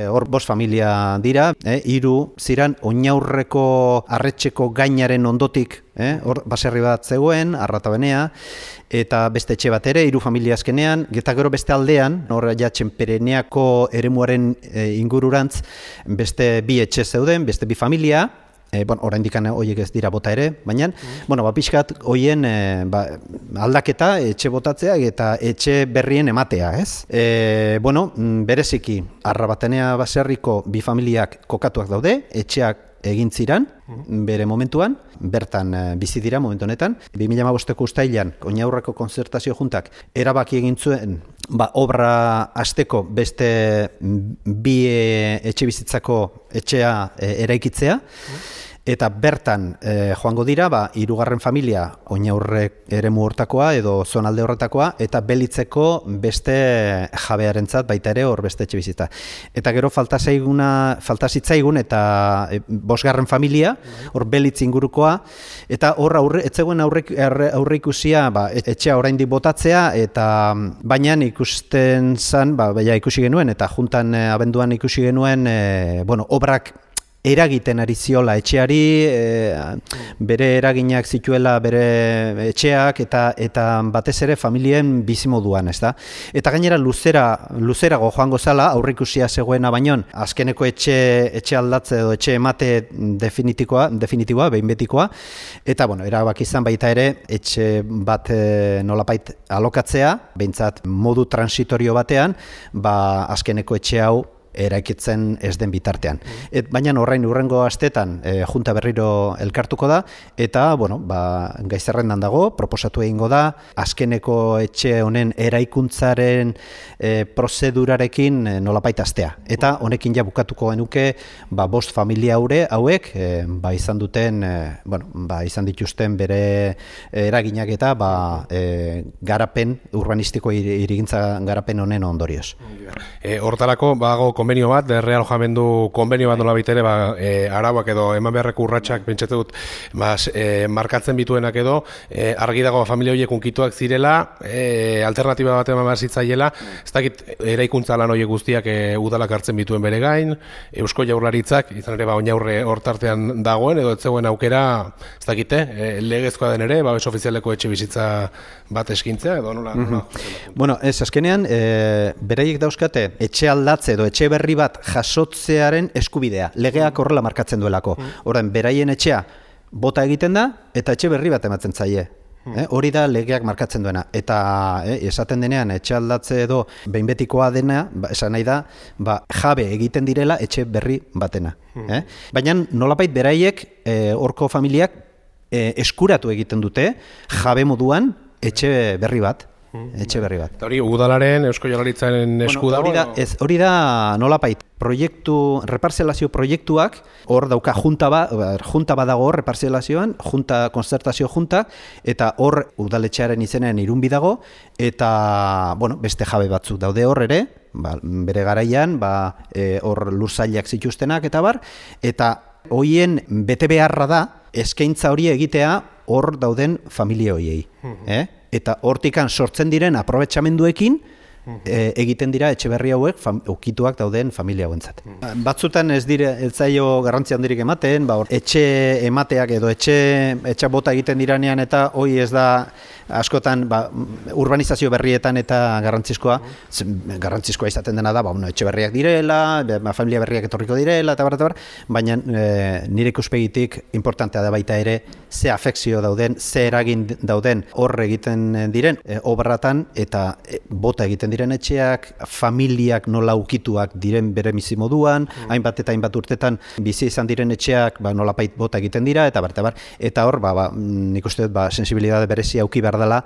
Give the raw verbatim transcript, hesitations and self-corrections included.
Hor bost familia dira, eh, hiru ziran oinaurreko arretxeko gainaren ondotik, eh, hor baserri bat zegoen, Arratabenea, eta beste etxe bat ere, hiru familia azkenean, eta gero beste aldean, hor ja Txenpereneako eremuaren e, ingururantz, beste bi etxe zeuden, beste bi familia, E, bon, oraindik horiek ez dira bota ere, baina, mm. bueno, ba, pixkat hoien e, ba, aldaketa, etxe botatzea eta etxe berrien ematea, ez? E, bueno, bereziki, Arrabatenea baserriko bi familiak kokatuak daude, etxeak egin ziran, mm. bere momentuan, bertan e, bizi dira momentu honetan. bi mila hamabosteko uztailean, Oinaurreko konzertazio juntak, erabaki egin zuen, ba, obra hasteko beste bi e, etxe bizitzako etxea e, eraikitzea, mm. Eta bertan e, joango dira, ba, hirugarren familia Oinaurrek eremu hortakoa edo zonalde horretakoa, eta Belitzeko beste jabearentzat baita ere hor beste etxe bizitza. Eta gero falta zaiguna, falta zitzaigun eta e, bosgarren familia, hor Belitz ingurukoa, eta hor aurre, etzegoen aurre, aurre ikusia ba, etxea oraindik botatzea, eta baina ikusten zan, ba, baina ikusi genuen, eta juntan e, abenduan ikusi genuen, e, bueno, obrak eragiten ari ziola etxeari, e, bere eraginak zituela bere etxeak eta eta batez ere familien bizimoduan, ez da? Eta gainera luzera, luzerago joango zala, aurreikusia zegoena bainon, azkeneko etxe, etxe aldatze edo etxe emate definitikoa, definitiboa, behin betikoa, eta bueno, erabaki izan baita ere, etxe bat e, nolapait alokatzea, behintzat modu transitorio batean, ba azkeneko etxe hau eraikitzen ez den bitartean. Et, baina horrein urrengo astetan e, junta berriro elkartuko da, eta bueno, ba, gai zerrendan dago, proposatu egingo da, azkeneko etxe honen eraikuntzaren e, prozedurarekin e, nolapait astea. Eta honekin ja bukatuko genuke ba, bost familia haure hauek e, ba, izan duten, e, bueno, ba, izan dituzten bere eraginak eta ba, e, garapen, urbanistiko hirigintza garapen honen ondorioz. E, hortarako, bago konbenio bat, realojamendu konbenio bat nola bitere, ba, e, arauak edo eman beharreko urratsak pentsatu dut, ba, e, markatzen bituenak edo, e, argi dago familia horiek unkituak zirela, e, alternatiba bat eman behar zitzaiela, ez dakit eraikuntza lan horiek guztiak e, udalak hartzen bituen bere gain, Eusko Jaurlaritzak, izan ere ba, Oinaurre hortartean dagoen, edo ez zegoen aukera, ez dakite, e, legezkoa den ere, babes ofizialeko etxe bizitza bat eskintzea, edo nola? Mm-hmm. nola bueno, ez, azkenean, e, beraiek dauzkate, etxe aldatze edo etxe berri bat jasotzearen eskubidea. Legeak horrela markatzen duelako. Orain, beraien etxea bota egiten da eta etxe berri bat ematen zaie. Eh, hori da legeak markatzen duena. Eta eh, esaten denean etxe aldatze edo behin betikoa dena, ba, esan nahi da, ba, jabe egiten direla etxe berri batena. Eh? Baina nolapait beraiek eh, horko familiak eh, eskuratu egiten dute jabe moduan etxe berri bat. Etxe berri bat. Eta hori, udalaren, Eusko Jaurlaritzaren esku dago? Hori da, ez, hori da nolapait, proiektu, reparzelazio proiektuak, hor dauka junta ba, junta badago hor reparzelazioan, junta, konzertazio junta, eta hor udaletxearen izenean irunbi dago, eta, bueno, beste jabe batzuk daude hor ere, ba, bere garaian, ba, e, hor lursailak zituztenak eta bar, eta hoien bete beharra da, eskaintza hori egitea hor dauden familia horiei, eh? Eta hortikan sortzen diren aprobetxamenduekin e, egiten dira etxe berri hauek fam, ukituak dauden familia hauentzat. Batzutan ez dire ez zaio garrantzi handirik ematen, ba, etxe emateak edo etxe etxe bota egiten diranean eta hoi ez da askotan ba, urbanizazio berrietan eta garrantzizkoa, garrantzizkoa izaten dena da, ba, bueno, etxe berriak direla, ba, familia berriak etorriko direla, eta bar, eta bar, baina e, nire ikuspegitik importantea da baita ere, ze afekzio dauden, ze eragin dauden hor egiten diren e, obratan, eta e, bota egiten diren etxeak, familiak nola ukituak diren bere bizimoduan, mm. hainbat eta hainbat urtetan bizi izan diren etxeak ba, nolapait bota egiten dira, eta bar, eta bar, eta hor, ba, ba, nik uste dut, ba, sensibilidade berezia auki behar dela,